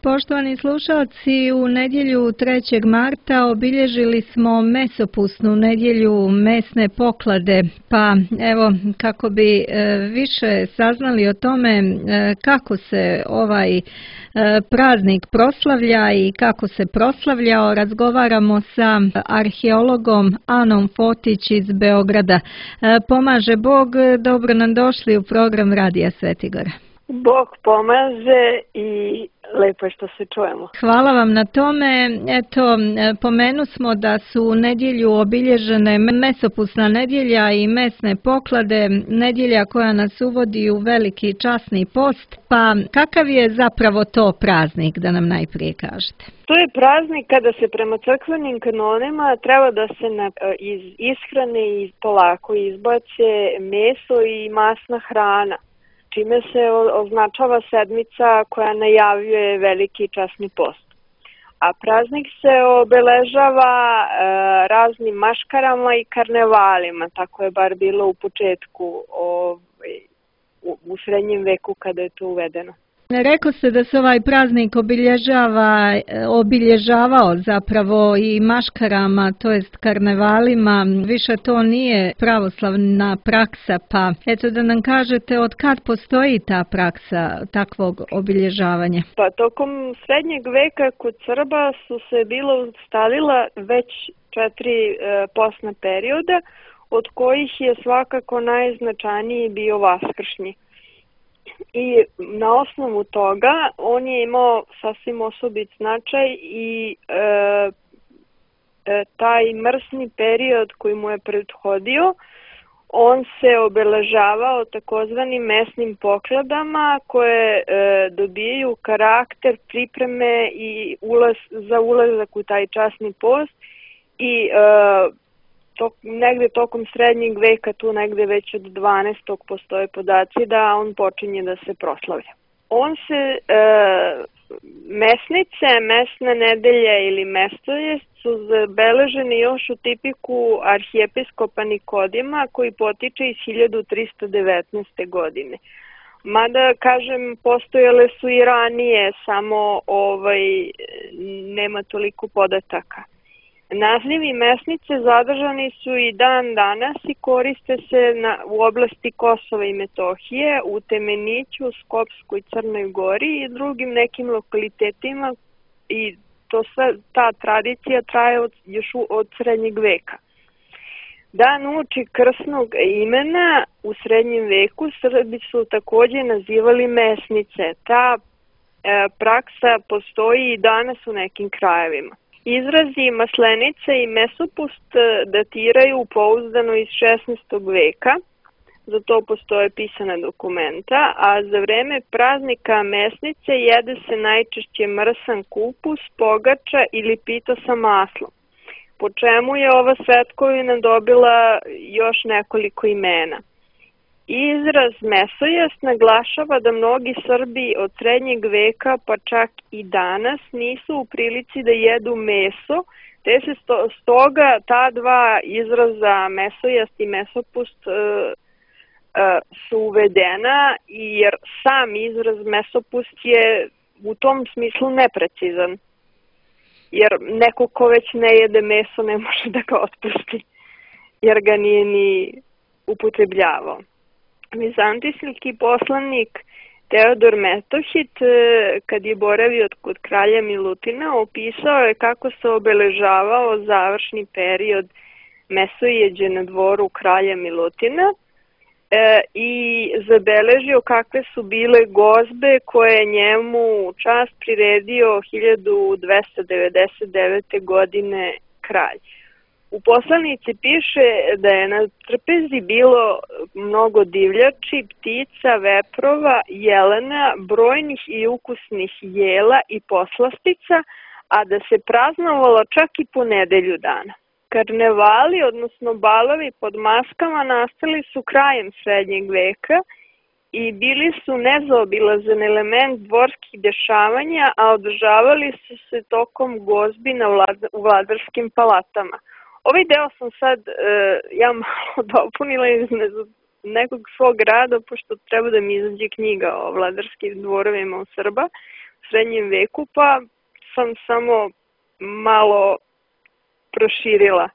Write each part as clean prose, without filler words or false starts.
Poštovani slušalci, u nedjelju 3. marta obilježili smo mesopusnu nedjelju mesne poklade, pa evo kako bi više saznali o tome kako se ovaj praznik proslavlja i kako se proslavljao, razgovaramo sa arheologom Anom Fotić iz Beograda. Pomaže Bog, dobro nam došli u program Radija Svetigora. Bog pomaže i lepo je što se čujemo. Hvala vam na tome. Eto, pomenu smo da su u nedjelju obilježene mesopusna nedjelja i mesne poklade, nedjelja koja nas uvodi u veliki časni post. Pa kakav je zapravo to praznik, da nam najprije kažete? To je praznik kada se prema crkvenim kanonima treba da se iz ishrane i polako izbace meso i masna hrana, čime se označava sedmica koja najavljuje veliki časni post. A praznik se obeležava raznim maškarama i karnevalima, tako je bar bilo u početku, u srednjem veku kada je to uvedeno. Rekao se da se ovaj praznik obilježavao zapravo i maškarama, to jest karnevalima, više to nije pravoslavna praksa, pa eto da nam kažete od kad postoji ta praksa takvog obilježavanja? Pa tokom srednjeg veka kod Srba su se bilo ustalila već 4 postna perioda, od kojih je svakako najznačajniji bio vaskršnji. I na osnovu toga on je imao sasvim osobit značaj i taj mrsni period koji mu je prethodio, on se obeležavao takozvanim mesnim pokladama koje dobijaju karakter pripreme i za ulazak u taj časni post i negde tokom srednjeg veka, tu negde već od 12. postoje podaci da on počinje da se proslavlja. On se, mesnice, mesne nedelje ili mestojest su zabeleženi još u tipiku arhijepiskopa Nikodima koji potiče iz 1319. godine. Mada, kažem, postojale su i ranije, samo nema toliko podataka. Nazivi mesnice zadržani su i dan danas i koriste se u oblasti Kosova i Metohije, u Temeniću, Skopskoj, Crnoj Gori i drugim nekim lokalitetima i ta tradicija traje još od srednjeg veka. Dan uoči krsnog imena u srednjem veku Srbi su također nazivali mesnice. Ta praksa postoji i danas u nekim krajevima. Izrazi maslenica i mesopust datiraju pouzdano iz 16. veka, za to postoje pisana dokumenta, a za vreme praznika mesnice jede se najčešće mrsan kupus, pogača ili pita sa maslom, po čemu je ova svetkovina dobila još nekoliko imena. Izraz mesojest naglašava da mnogi Srbi od srednjeg veka pa čak i danas nisu u prilici da jedu meso, te se stoga ta dva izraza mesojest i mesopust su uvedena, jer sam izraz mesopust je u tom smislu neprecizan, jer neko ko već ne jede meso ne može da ga otpusti, jer ga nije ni upotrebljavao. Vizantijski poslanik Teodor Metohit, kad je boravio kod kralja Milutina, opisao je kako se obeležavao završni period mesojeđe na dvoru kralja Milutina i zabeležio kakve su bile gozbe koje je njemu u čast priredio 1299. godine kralj. U poslanici piše da je na trpezi bilo mnogo divljači, ptica, veprova, jelena, brojnih i ukusnih jela i poslastica, a da se praznovalo čak i po nedelju dana. Karnevali, odnosno balovi pod maskama, nastali su krajem srednjeg veka i bili su nezaobilazan element dvorskih dešavanja, a održavali su se tokom gozbi u vladarskim palatama. Ovaj deo sam sad ja malo dopunila iz nekog svog rada, pošto treba da mi izađe knjiga o vladarskim dvorovima u Srba, srednjem veku, pa sam samo malo proširila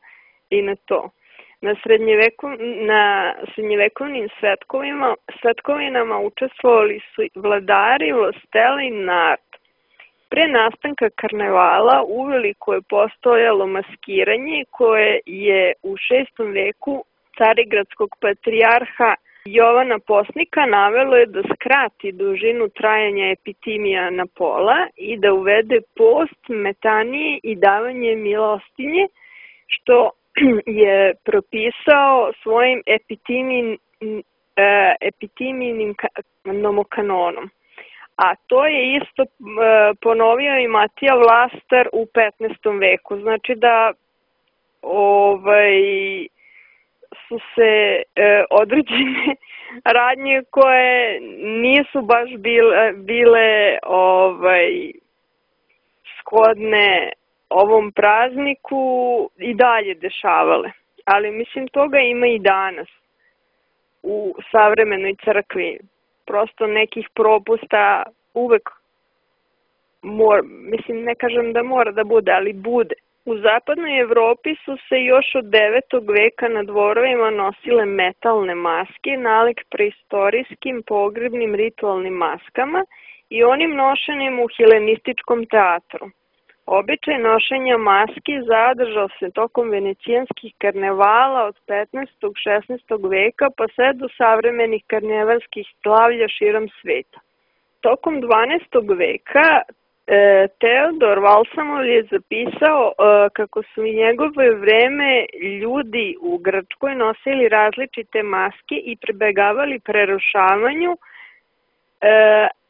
i na to. Na srednjevekovnim svetkovinama učestvovali su vladari, vlasteli i narod. Pre nastanka karnevala uveliko je postojalo maskiranje koje je u 6. veku carigradskog patrijarha Jovana Posnika navelo je da skrati dužinu trajanja epitimija na pola i da uvede post, metanije i davanje milostinje, što je propisao svojim epitiminim nomokanonom. A to je isto ponovio i Matija Vlastar u 15. veku. Znači da su se određene radnje koje nisu baš bile shodne ovom prazniku i dalje dešavale. Ali mislim toga ima i danas u savremenoj crkvi. Prosto nekih propusta uvek mislim, ne kažem da mora da bude, ali bude. U zapadnoj Evropi su se još od 9. veka na dvorovima nosile metalne maske, nalik preistorijskim pogrebnim ritualnim maskama i onim nošenim u helenističkom teatru. Običaj nošenja maski zadržao se tokom venecijanskih karnevala od 15. 16. veka pa sve do savremenih karnevalskih slavlja širom sveta. Tokom 12. veka Teodor Valsamov je zapisao kako su u njegove vreme ljudi u Grčkoj nosili različite maske i pribegavali prerušavanju,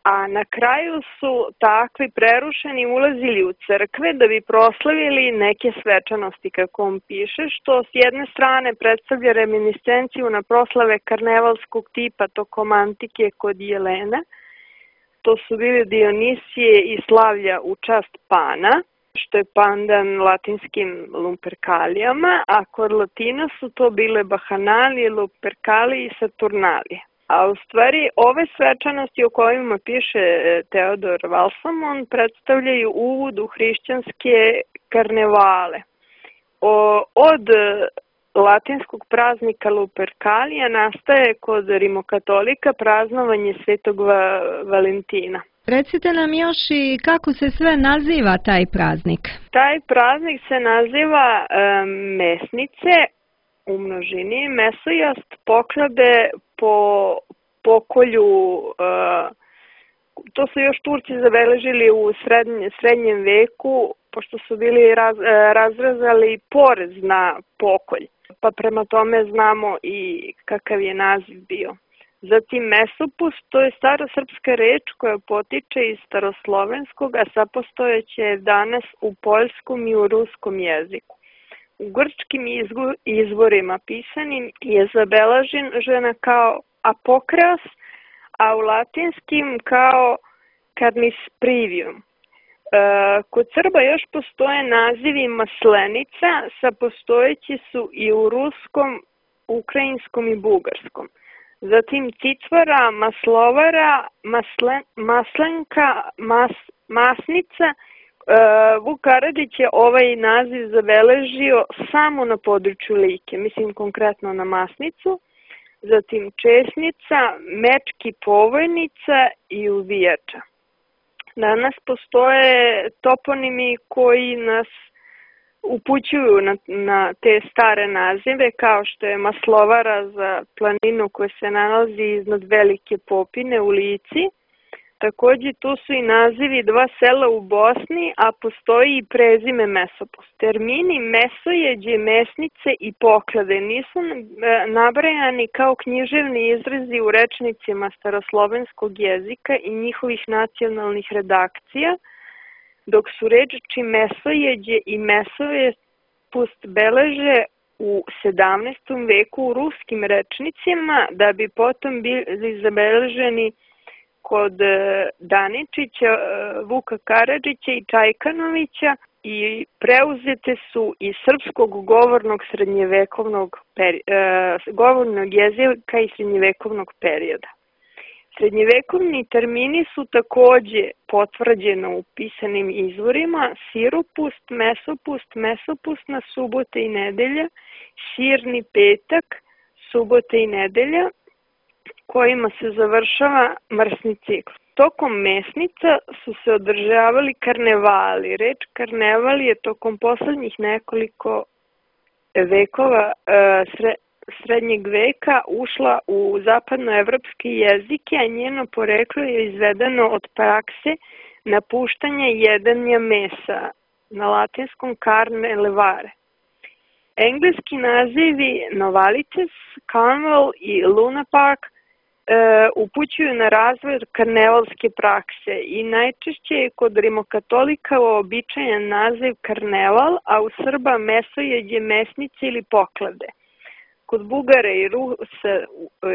a na kraju su takvi prerušeni ulazili u crkve da bi proslavili neke svečanosti, kako on piše, što s jedne strane predstavlja reminiscenciju na proslave karnevalskog tipa tokom antike kod Jelena. To su bili Dionisije i slavlja u čast Pana, što je pandan latinskim Lupercalijama, a kod Latina su to bile Bahanalije, Lupercalije i Saturnalije. A u stvari ove svečanosti o kojima piše Teodor Valsamon predstavljaju uvod u hrišćanske karnevale. Od latinskog praznika Lupercalija nastaje kod rimokatolika praznovanje Svetog Valentina. Recite nam još i kako se sve naziva taj praznik? Taj praznik se naziva mesnice u množini, mesojast, poklade po pokolju, to su još Turci zabeležili u srednjem veku, pošto su bili razrezali porez na pokolj, pa prema tome znamo i kakav je naziv bio. Zatim mesopust, to je starosrpska reč koja potiče iz staroslovenskog, a sapostojeće je danas u poljskom i u ruskom jeziku. U grčkim izvorima pisanim je zabeležena kao apokreos, a u latinskim kao carnisprivium. Kod Srba još postoje nazivi maslenica, sapostojeći su i u ruskom, ukrajinskom i bugarskom. Zatim cicvara, maslovara, maslenka, masnica. Vuk Karadžić je ovaj naziv zabeležio samo na području Like, mislim konkretno na masnicu. Zatim česnica, mečki povojnica i uvijača. Danas postoje toponimi koji nas upućuju na te stare nazive, kao što je Maslovara za planinu koja se nalazi iznad Velike Popine u Lici. Takođe tu su i nazivi dva sela u Bosni, a postoji i prezime Mesopust. Termini mesojeđe, mesnice i poklade nisu nabrajani kao književni izrazi u rečnicima staroslovenskog jezika i njihovih nacionalnih redakcija, dok su reči mesojeđe i mesopust beleže u 17. veku u ruskim rečnicima, da bi potom bili zabeleženi kod Daničića, Vuka Karadžića i Čajkanovića i preuzete su iz srpskog govornog govornog jezika i srednjevekovnog perioda. Srednjevekovni termini su takođe potvrđeno u pisanim izvorima: siropust, mesopustna subota i nedelja, sirni petak, subota i nedelja, kojima se završava mrsni cikl. Tokom mesnica su se održavali karnevali. Reč karneval je tokom poslednjih nekoliko vekova srednjeg veka ušla u zapadnoevropske jezike, a njeno poreklo je izvedeno od prakse napuštanja jedanja mesa, na latinskom carne levare. Engleski nazivi Novalices, Carnival i Luna Park upućuju na razvoj karnevalske prakse i najčešće je kod rimokatolika uobičajen naziv karneval, a u Srba mesojeđe, mesnice ili poklade. Kod Bugara i Rusa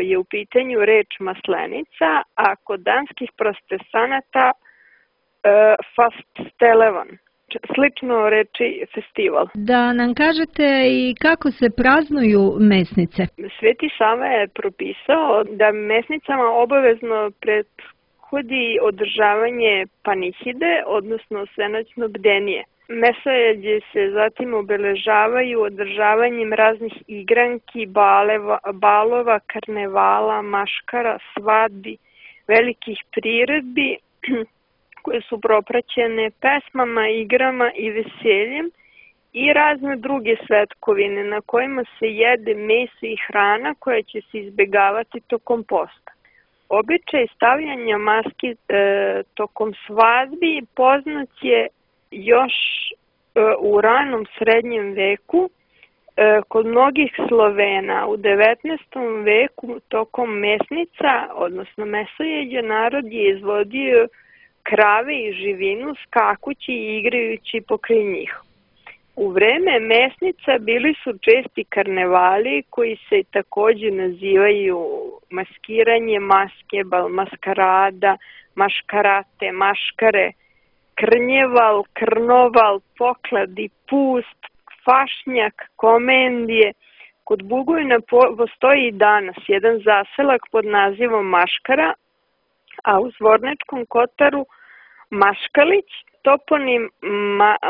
je u pitanju reč maslenica, a kod danskih protestanata fastelevan, slično reči festival. Da nam kažete i kako se praznuju mesnice? Sveti Sava je propisao da mesnicama obavezno prethodi održavanje panihide, odnosno svenoćno bdenije. Mesojeđe se zatim obeležavaju održavanjem raznih igranki, balova, karnevala, maškara, svadbi, velikih priredbi koje su propraćene pesmama, igrama i veseljem i razne druge svetkovine na kojima se jede meso i hrana koja će se izbegavati tokom posta. Običaj stavljanja maski tokom svadbi poznat je još u ranom srednjem veku kod mnogih Slovena. U 19. veku tokom mesnica, odnosno mesojeđa, narod je izvodio krave i živinu skakući i igrajući pokraj njih. U vreme mesnica bili su česti karnevali koji se takođe nazivaju maskiranje, maske, maskarada, maškarate, maškare, krnjeval, krnoval, pokladi, pust, fašnjak, komendije. Kod Bugojna postoji i danas jedan zaselak pod nazivom Maškara, a u Zvorničkom Kotaru Maškalić. Toponim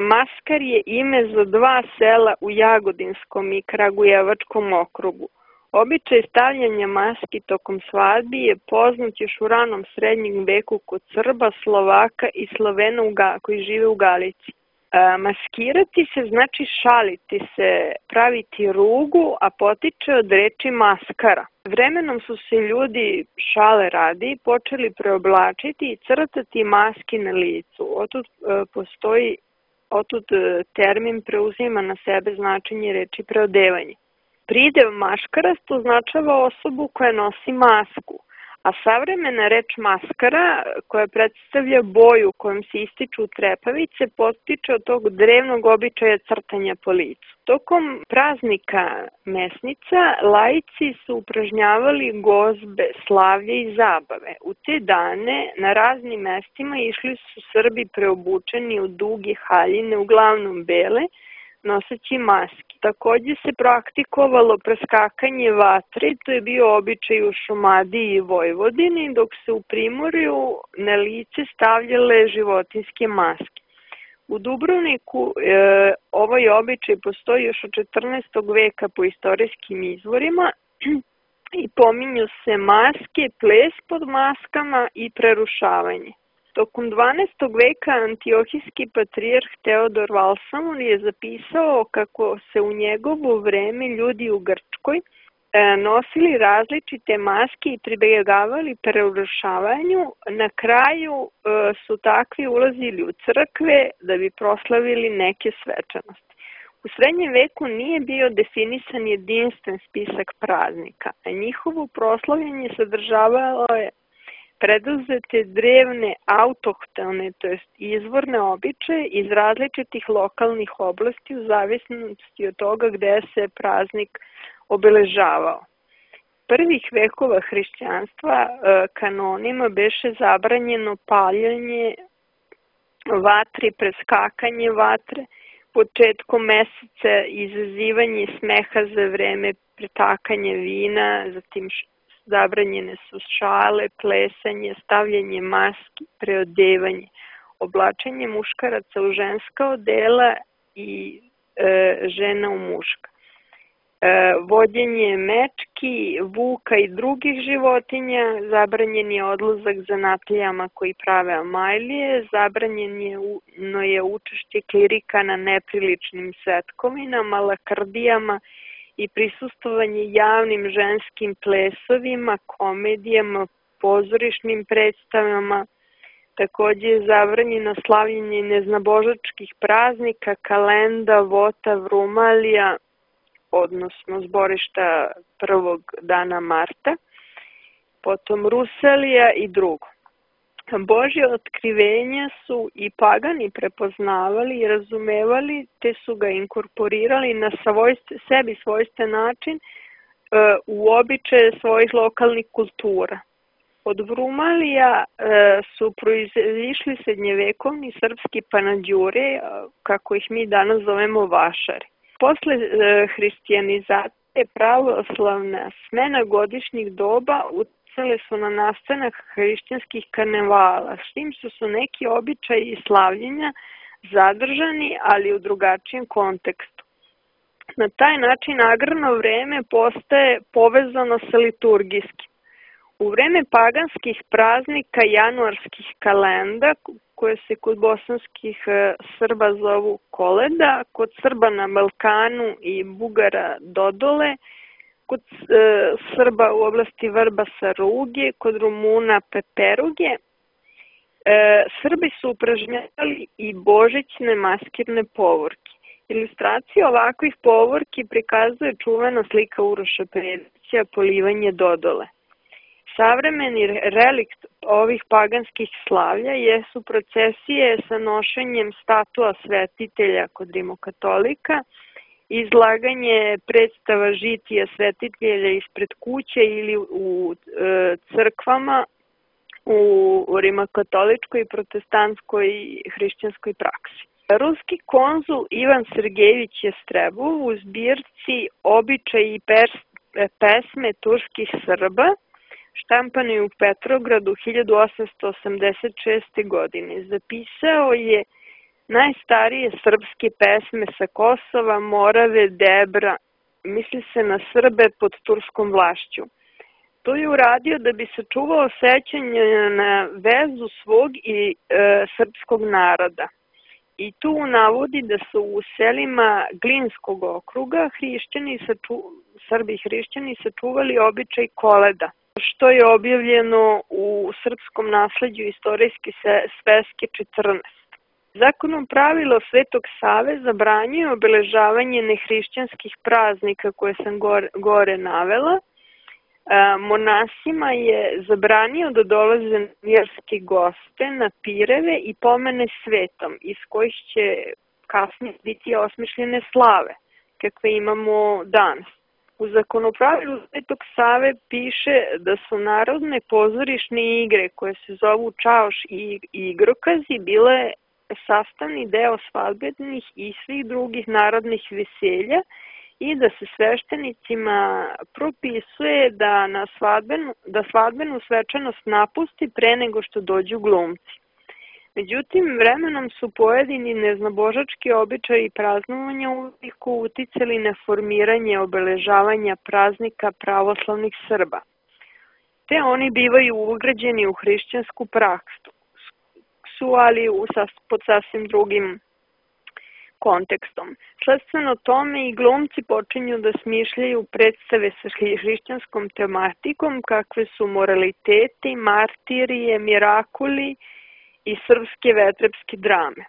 Maskar je ime za dva sela u Jagodinskom i Kragujevačkom okrugu. Običaj stavljanja maski tokom svadbi je poznat još u ranom srednjem veku kod Srba, Slovaka i Slovena koji žive u Galici. Maskirati se znači šaliti se, praviti rugu, a potiče od reči maskara. Vremenom su se ljudi, šale radi, počeli preoblačiti i crtati maski na licu. Otud termin preuzima na sebe značenje reči preodevanje. Pridev maškarast označava osobu koja nosi masku, a savremena reč maskara, koja predstavlja boju kojom se ističu trepavice, potiče od tog drevnog običaja crtanja po licu. Tokom praznika mesnica laici su upražnjavali gozbe, slavlje i zabave. U te dane na raznim mestima išli su Srbi preobučeni u duge haljine, uglavnom bele, noseći maski. Takođe se praktikovalo preskakanje vatre, to je bio običaj u Šumadiji i Vojvodini, dok se u Primorju na lice stavljale životinjske maske. U Dubrovniku ovaj običaj postoji još od 14. veka po istorijskim izvorima i pominju se maske, ples pod maskama i prerušavanje. Tokom 12. veka antiohijski patrijarh Teodor Valsamon je zapisao kako se u njegovo vreme ljudi u Grčkoj nosili različite maske i pribegavali prerušavanju. Na kraju su takvi ulazili u crkve da bi proslavili neke svečanosti. U srednjem veku nije bio definisan jedinstven spisak praznika, a njihovo proslavljanje sadržavalo je preduzete drevne autohtone, to jest izvorne običaje iz različitih lokalnih oblasti u zavisnosti od toga gde se praznik obeležavao. Prvih vekova hrišćanstva kanonima beše zabranjeno paljanje vatre, preskakanje vatre, početkom meseca izazivanje smeha za vreme pretakanja vina, zatim zabranjene su šale, plesanje, stavljanje maski, preodevanje, oblačenje muškaraca u ženska odela i žena u muška. Vođenje mečki, vuka i drugih životinja, zabranjen je odlazak zanatlijama koji prave amajlije, zabranjeno je učešće klirika na nepriličnim svetkovinama, lakrdijama i prisustvovanje javnim ženskim plesovima, komedijama, pozorišnim predstavama. Takođe je zabranjeno slavljenje neznabožačkih praznika, kalenda, vota, vrumalija, odnosno zborišta prvog dana marta, potom Rusalija i drugo. Božje otkrivenja su i pagani prepoznavali i razumevali, te su ga inkorporirali na sebi svojstven način u običaje svojih lokalnih kultura. Od Vrumalija su proizišli srednjevekovni srpski panađure, kako ih mi danas zovemo vašari. Posle hristijanizacije pravoslavna smena godišnjih doba uticale su na nastanak hrišćanskih karnevala, s tim su neki običaji i slavljenja zadržani, ali u drugačijem kontekstu. Na taj način agrarno vreme postaje povezano sa liturgijskim. U vreme paganskih praznika januarskih kalenda, koje se kod bosanskih Srba zovu koleda, kod Srba na Balkanu i Bugara dodole, kod Srba u oblasti Vrbasa ruge, kod Rumuna peperuge, Srbi su upražnjavali i božićne maskirne povorke. Ilustracija ovakvih povorki prikazuje čuvena slika Uroša Predića, polivanje dodole. Savremeni relikt ovih paganskih slavlja jesu procesije sa nošenjem statua svetitelja kod rimokatolika, izlaganje predstava žitija svetitelja ispred kuće ili u crkvama u rimokatoličkoj, protestantskoj i hrišćanskoj praksi. Ruski konzul Ivan Sergejević Jestrebov u zbirci Običaji i pesme turskih Srba, štampani u Petrogradu 1886. godine, zapisao je najstarije srpske pesme sa Kosova, Morave, Debra, misli se na Srbe pod turskom vlašću. To je uradio da bi sačuvao sećanje na vezu svog i srpskog naroda. I tu navodi da su u selima Glinskog okruga Srbi hrišćani sačuvali običaj koleda, što je objavljeno u srpskom nasleđu istorijske sveske 14. Zakonom pravilo Svetog Save zabranjuje obeležavanje nehrišćanskih praznika koje sam gore navela. Monasima je zabranio da dolaze vjerski goste na pireve i pomene svetom, iz kojih će kasnije biti osmišljene slave, kakve imamo danas. U zakonopravilu Svetog Save piše da su narodne pozorišne igre koje se zovu čaoš i igrokazi bile sastavni deo svadbenih i svih drugih narodnih veselja i da se sveštenicima propisuje da svadbenu svečanost napusti pre nego što dođu glumci. Međutim, vremenom su pojedini neznabožački običaji praznovanja uveliko uticali na formiranje obeležavanja praznika pravoslavnih Srba, te oni bivaju ugrađeni u hrišćansku praksu, ali pod sasvim drugim kontekstom. Sledstveno tome i glumci počinju da smišljaju predstave sa hrišćanskom tematikom, kakve su moraliteti, martirije, mirakuli i srpske vetrepske drame.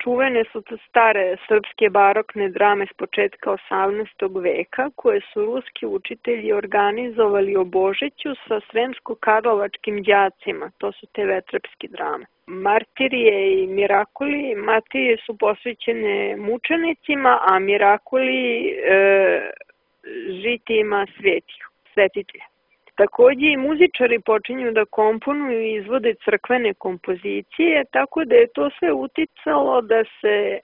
Čuvene su to stare srpske barokne drame s početka 18. veka, koje su ruski učitelji organizovali o Božiću sa sremsko-karlovačkim đacima, to su te vetrepske drame. Martirije i mirakuli, martirije su posvećene mučenicima, a mirakuli žitijima svetitelja. Takođe i muzičari počinju da komponuju i izvode crkvene kompozicije, tako da je to sve uticalo da se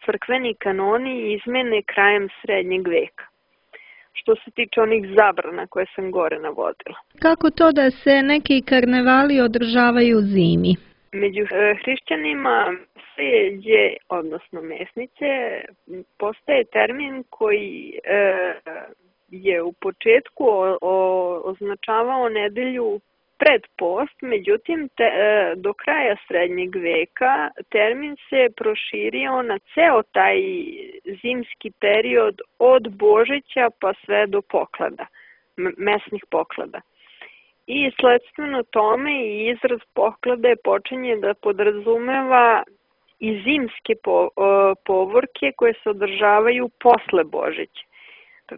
crkveni kanoni izmene krajem srednjeg veka. što se tiče onih zabrana koje sam gore navodila. Kako to da se neki karnevali održavaju zimi? Među hrišćanima messeđe, odnosno mesnice, postaje termin koji je u početku označavao nedelju pred post, međutim do kraja srednjeg veka termin se proširio na ceo taj zimski period od Božića pa sve do poklada, mesnih poklada. I sledstveno tome i izraz poklade počinje da podrazumeva i zimske povorke koje se održavaju posle Božića.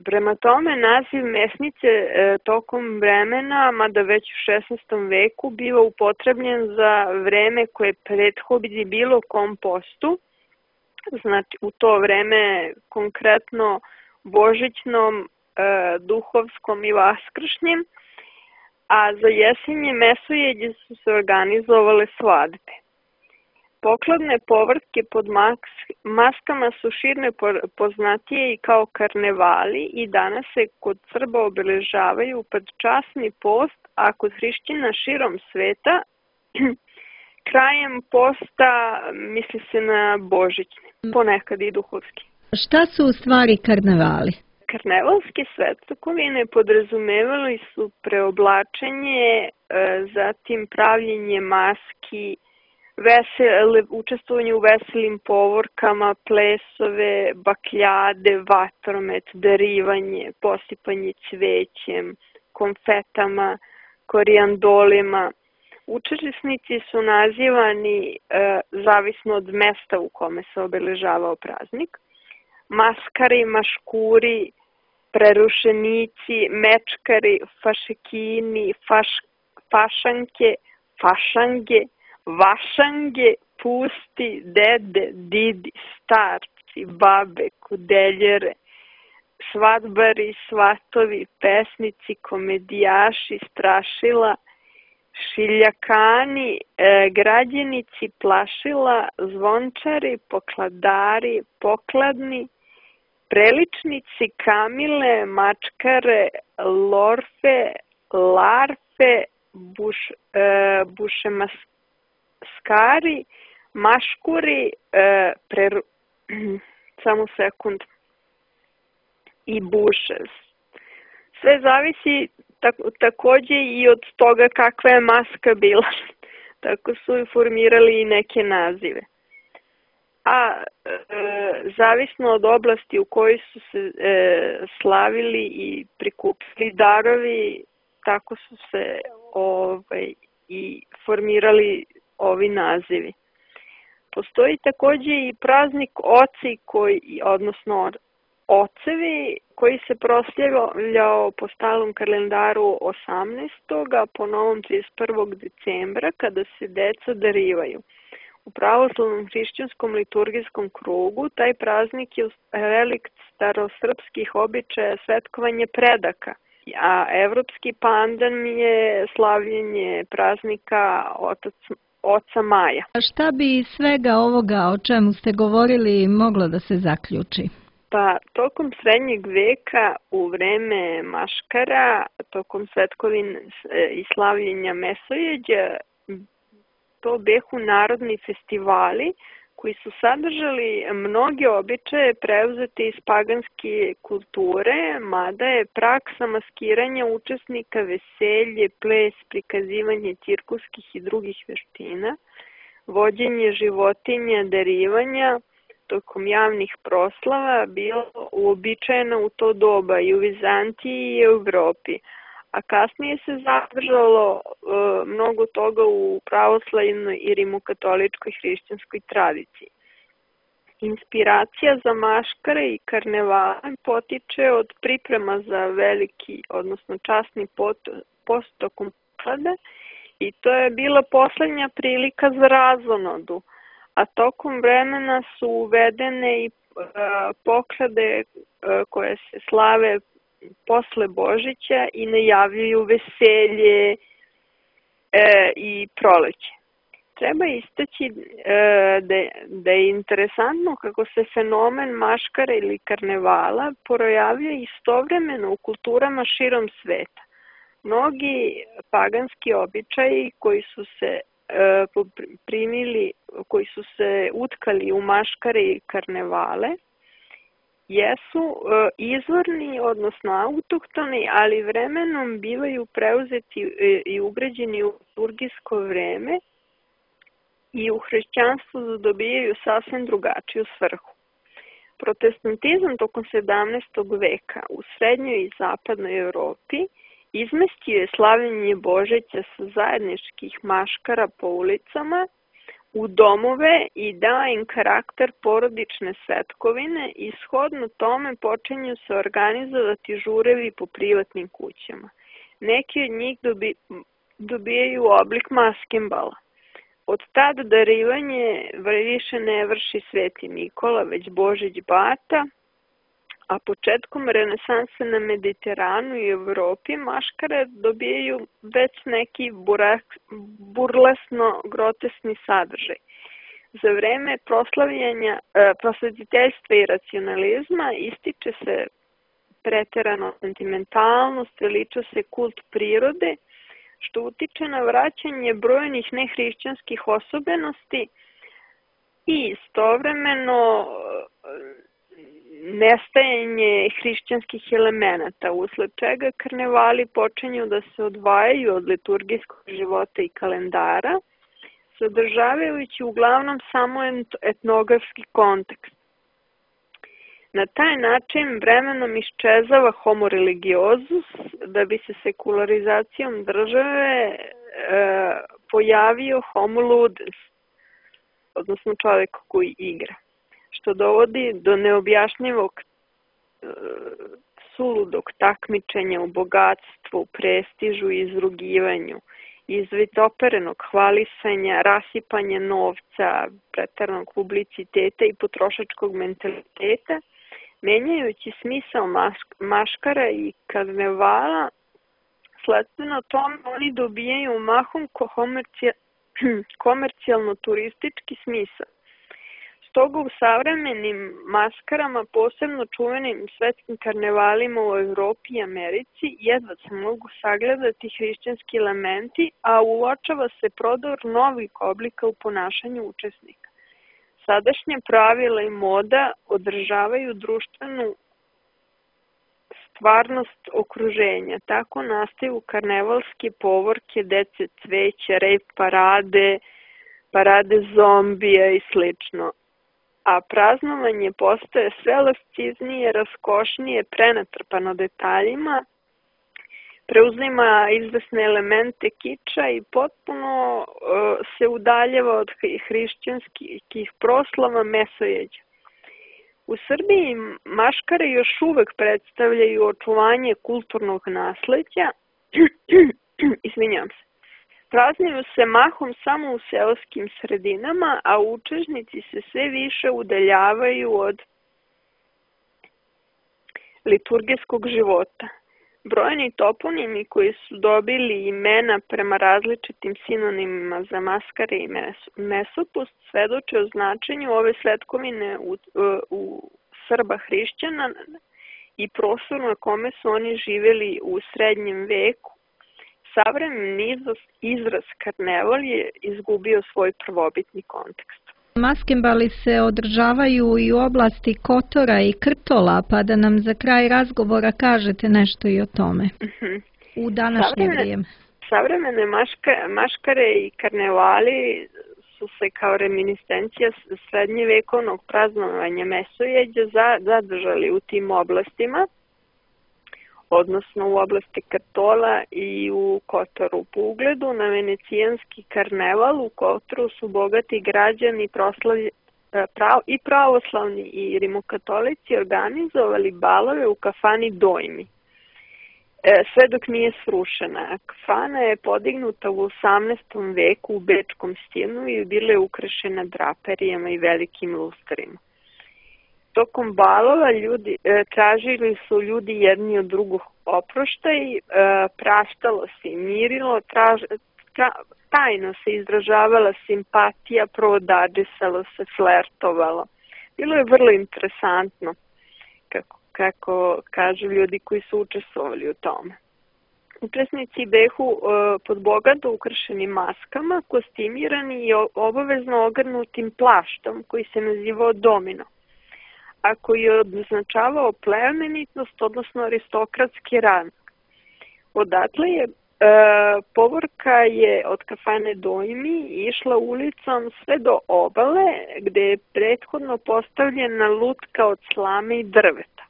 Prema tome, naziv mesnice tokom vremena, mada već u 16. veku, biva upotrebljen za vreme koje prethodi bilo kom postu, znači u to vreme konkretno božićnom, duhovskom i vaskršnjem, a za jesenje mesojeđe su se organizovale svadbe. Pokladne povrtke pod maskama su širne poznatije i kao karnevali i danas se kod Srba obeležavaju pred časni post, a kod hrišćana širom sveta krajem posta misli se na božićne, ponekad i duhovski. Šta su u stvari karnevali? Karnevalske svetkovine podrazumevali su preoblačenje, zatim pravljenje maski, učestvovanje u veselim povorkama, plesove, bakljade, vatromet, darivanje, posipanje cvećem, konfetama, korijandolima. Učesnici su nazivani zavisno od mesta u kome se obeležavao praznik. Maskari, maškuri, prerušenici, mečkari, fašekini, fašanke, fašange, vašange, pusti, dede, didi, starci, babe, kudeljere, svadbari, svatovi, pesnici, komedijaši, strašila, šiljakani, građenici, plašila, zvončari, pokladari, pokladni, preličnici, kamile, mačkare, lorfe, larfe, bušemaskari, maškuri, samo sekund, i bušes. Sve zavisi takođe i od toga kakva je maska bila. Tako su formirali i neke nazive. A zavisno od oblasti u kojoj su se slavili i prikupili darovi, tako su se i formirali ovi nazivi. Postoji takođe i praznik oci, odnosno ocevi, koji se proslavljao po stalnom kalendaru 18. a po novom 31. decembra, kada se deca darivaju. U pravoslavnom hrišćanskom liturgijskom krugu taj praznik je relikt starosrpskih običaja svetkovanje predaka, a evropski pandan je slavljenje praznika Oca Maja. A šta bi iz svega ovoga o čemu ste govorili moglo da se zaključi? Pa, tokom srednjeg veka, u vreme maškara, tokom svetkovine i slavljenja mesojeđa, to behu narodni festivali koji su sadržali mnoge običaje preuzete iz paganske kulture, mada je praksa maskiranja učesnika veselje, ples, prikazivanje cirkuskih i drugih veština, vođenje životinja, darivanja, tokom javnih proslava bilo uobičajeno u to doba i u Vizantiji i u Evropi, a kasnije se zadržalo mnogo toga u pravoslavnoj i rimokatoličkoj hrišćanskoj tradiciji. Inspiracija za maškare i karnevale potiče od priprema za veliki, odnosno časni post tokom poklade, i to je bila poslednja prilika za razonodu, a tokom vremena su uvedene i poklade koje se slave posle Božića i najavljuju veselje i proleće. Treba istaći da je interesantno kako se fenomen maškara ili karnevala projavljuje istovremeno u kulturama širom sveta. Mnogi paganski običaji koji su se koji su se utkali u maškare i karnevale, jesu izvorni, odnosno autohtoni, ali vremenom bivaju preuzeti i ugrađeni u liturgijsko vreme i u hrišćanstvu dobijaju sasvim drugačiju svrhu. Protestantizam tokom 17. veka u srednjoj i zapadnoj Evropi izmestio je slavljenje Božića sa zajedničkih maškara po ulicama u domove i dao im karakter porodične svetkovine i shodno tome počinju se organizovati žurevi po privatnim kućama. Neki od njih dobijaju oblik maskembala. Od tada darivanje više ne vrši Sveti Nikola, već Božić Bata, a početkom renesanse na Mediteranu i Evropi maškare dobijaju već neki burlesno grotesni sadržaj. Za vreme prosvetiteljstva i racionalizma ističe se preterano sentimentalnost, veliča se kult prirode, što utiče na vraćanje brojnih nehrišćanskih osobenosti i istovremeno nestajanje hrišćanskih elemenata, usled čega karnevali počinju da se odvajaju od liturgijskog života i kalendara, sadržavajući uglavnom samo etnografski kontekst. Na taj način vremenom iščezava homo religiozus, da bi se sekularizacijom države pojavio homo ludens, odnosno čovjek koji igra, što dovodi do neobjašnjivog suludog takmičenja u bogatstvu, prestižu i izrugivanju, izvitoperenog hvalisanja, rasipanja novca, preteranog publiciteta i potrošačkog mentaliteta, menjajući smisao maškara i karnevala. Sledstveno tome oni dobijaju mahom komercijalno-turistički smisao. Stoga u savremenim maskarama, posebno čuvenim svetskim karnevalima u Evropi i Americi, jedva se mogu sagledati hrišćanski elementi, a uočava se prodor novih oblika u ponašanju učesnika. Sadašnje pravila i moda održavaju društvenu stvarnost okruženja. Tako nastaju karnevalske povorke, dece cveća, rejv parade zombija i slično. A praznovanje postaje sve lasciznije, raskošnije, prenatrpano detaljima, preuzima izvesne elemente kiča i potpuno se udaljava od hrišćanskih proslava mesojeđa. U Srbiji maškare još uvek predstavljaju očuvanje kulturnog nasleđa, izvinjavam se. Praznuju se mahom samo u seoskim sredinama, a učesnici se sve više udaljavaju od liturgijskog života. Brojni toponimi koji su dobili imena prema različitim sinonimima za maskare i mesopust svedoče o značenju ove svetkovine u Srba hrišćana i prostoru na kome su oni živjeli u srednjem veku. Savremeni izraz karneval je izgubio svoj prvobitni kontekst. Maskembali se održavaju i u oblasti Kotora i Krtola, pa da nam za kraj razgovora kažete nešto i o tome u današnje vrijeme. Savremene maškare i karnevali su se kao reminiscencija srednjevekovnog praznovanja mesojeđa zadržali u tim oblastima, odnosno u oblasti Krtola i u Kotoru. Po ugledu na venecijanski karneval u Kotoru su bogati građani i pravoslavni i rimokatolici organizovali balove u kafani Dojmi, sve dok nije srušena. Kafana je podignuta u 18. veku u bečkom stilu i bila je ukrašena draperijama i velikim lustrima. Tokom balova tražili su ljudi jedni od drugog oproštaj, praštalo se i mirilo, tajno se izražavala simpatija, prodadžisalo se, flertovalo. Bilo je vrlo interesantno, kako kažu ljudi koji su učestvovali u tome. Učesnici behu pod bogato ukrašenim maskama, kostimirani i obavezno ogrnutim plaštom koji se nazivao domino, a koji je označavao plemenitost, odnosno aristokratski rang. Odatle je povorka je od kafane Dojmi išla ulicom sve do obale, gde je prethodno postavljena lutka od slame i drveta.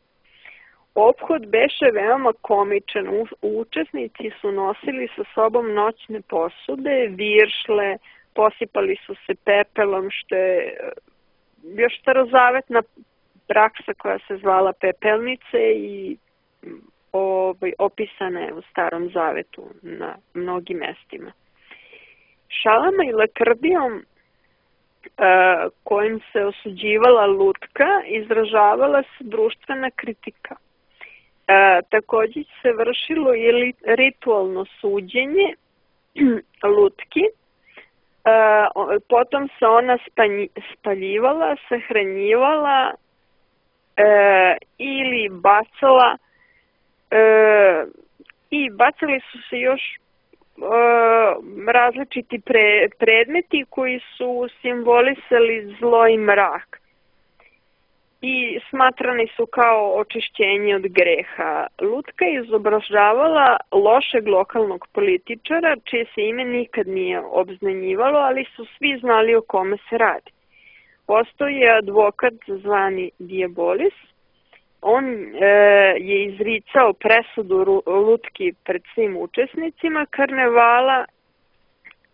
Ophod beše veoma komičan. Učesnici su nosili sa sobom noćne posude, viršle, posipali su se pepelom, što je još starozavetna praksa koja se zvala pepelnice i opisana je u Starom zavetu na mnogim mestima. Šalama i lakrdijom kojim se osuđivala lutka izražavala se društvena kritika. Također se vršilo i ritualno suđenje lutki, potom se ona spaljivala, sahranjivala ili bacala i bacali su se još različiti predmeti koji su simbolisali zlo i mrak i smatrani su kao očišćenje od greha. Lutka je izobražavala lošeg lokalnog političara, čije se ime nikad nije obznanjivalo, ali su svi znali o kome se radi. Postao je advokat zvani Diabolis. On je izricao presudu lutki pred svim učesnicima karnevala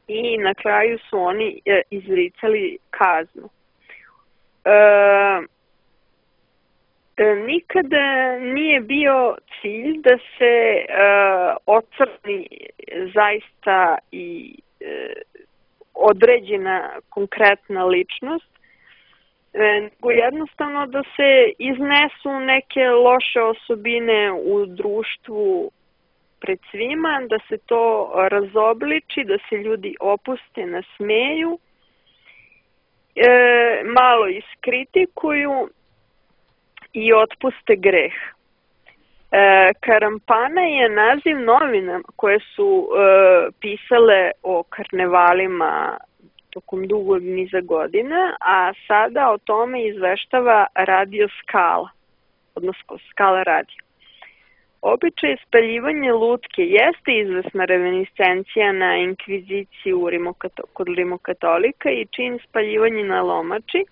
i na kraju su oni izricali kaznu. Nikada nije bio cilj da se ocrni zaista i određena konkretna ličnost, nego jednostavno da se iznesu neke loše osobine u društvu pred svima, da se to razobliči, da se ljudi opuste, nasmeju, malo iskritikuju i otpuste greh. Karampana je naziv novina koje su pisale o karnevalima tokom dugog niza godina, a sada o tome izveštava Radio Skala, odnosno Skala radio. Običaj spaljivanja lutke jeste izvesna reminiscencija na inkviziciju kod rimokatolika i čin spaljivanja na lomači,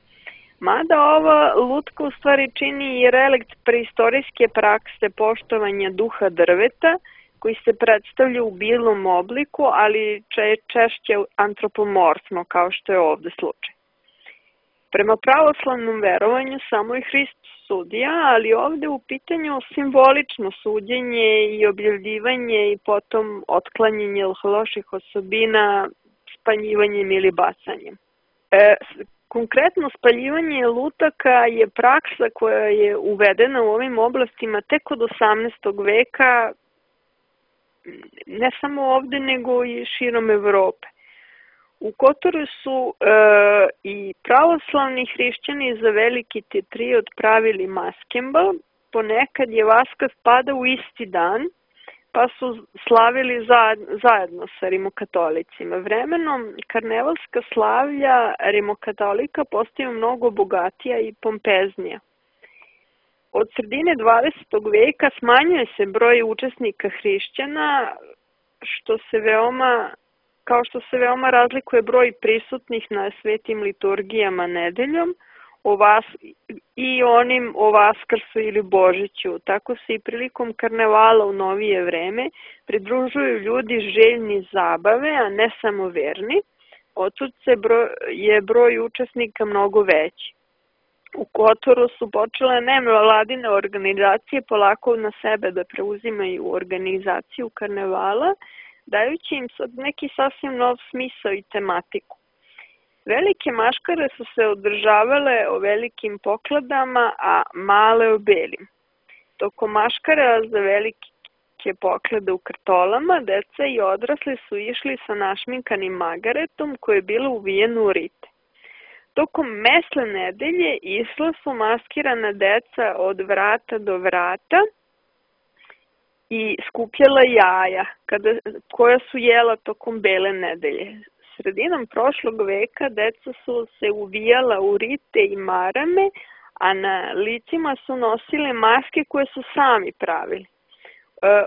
mada ova lutka u stvari čini i relikt preistorijske prakse poštovanja duha drveta, koji se predstavlja u bilom obliku, ali češće antropomorfno, kao što je ovde slučaj. Prema pravoslavnom verovanju samo je Hrist sudija, ali ovde u pitanju simbolično suđenje i objavljivanje i potom otklanjanje loših osobina spaljivanjem ili bacanjem. Konkretno spaljivanje lutaka je praksa koja je uvedena u ovim oblastima tek od 18. veka, ne samo ovde, nego i širom Evrope. U Kotoru su i pravoslavni hrišćani za veliki Tetriot pravili maskembal, ponekad je Vaskrs pada u isti dan, pa su slavili zajedno sa rimokatolicima. Vremenom karnevalska slavlja rimokatolika postaju mnogo bogatija i pompeznija. Od sredine 20. veka smanjuje se broj učesnika hrišćana, kao što se veoma razlikuje broj prisutnih na svetim liturgijama nedeljom i onim o Vaskrsu ili Božiću. Tako se i prilikom karnevala u novije vreme pridružuju ljudi željni zabave, a ne samo verni. Otud je broj učesnika mnogo veći. U Kotoru su počele nevladine organizacije polako na sebe da preuzimaju organizaciju karnevala, dajući im sad neki sasvim nov smisao i tematiku. Velike maškare su se održavale o velikim pokladama, a male o belim. Tokom maškara za veliki velike poklade u krtolama, deca i odrasli su išli sa našminkanim magaretom koje je bilo uvijeno u rite. Tokom mesle nedelje išla su maskirana deca od vrata do vrata i skupljala jaja koja su jela tokom bele nedelje. Sredinom prošlog veka deca su se uvijala u rite i marame, a na licima su nosile maske koje su sami pravili.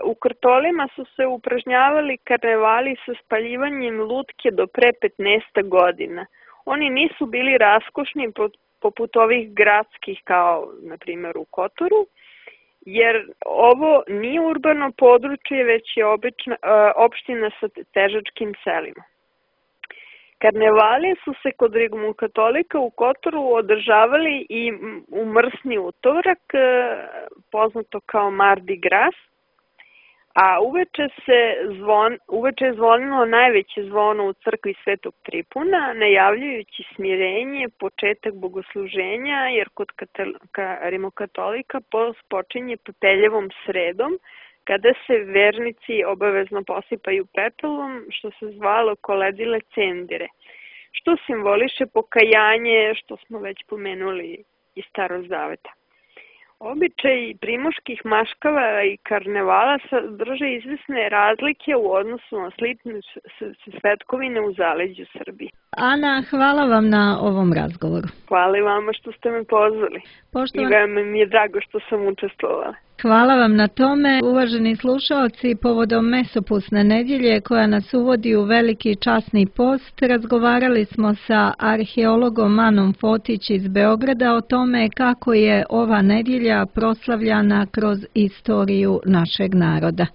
U krtolima su se upražnjavali karnevali sa spaljivanjem lutke do pre 15 godina. Oni nisu bili raskošni poput ovih gradskih kao, na primjer, u Kotoru, jer ovo nije urbano područje, već je opština sa težačkim selima. Karnevali su se kod rimokatolika u Kotoru održavali i u mrsni utorak, poznato kao Mardi Gras, a uveče je zvonilo najveće zvono u crkvi Svetog Tripuna, najavljujući smirenje, početak bogosluženja, jer kod rimokatolika post počinje pepeljevom sredom, kada se vernici obavezno posipaju pepelom, što se zvalo koledile cendire, što simboliše pokajanje, što smo već pomenuli iz Starog Zaveta. Običaj primoških maškava i karnevala sadrže izvesne razlike u odnosu na slične svetkovine u zaleđu Srbije. Ana, hvala vam na ovom razgovoru. Hvala i vama što ste me pozvali. I veoma mi je drago što sam učestvovala. Hvala vam na tome. Uvaženi slušaoci, povodom Mesopusne nedjelje koja nas uvodi u veliki časni post, razgovarali smo sa arheologom Anom Fotić iz Beograda o tome kako je ova nedjelja proslavljana kroz istoriju našeg naroda.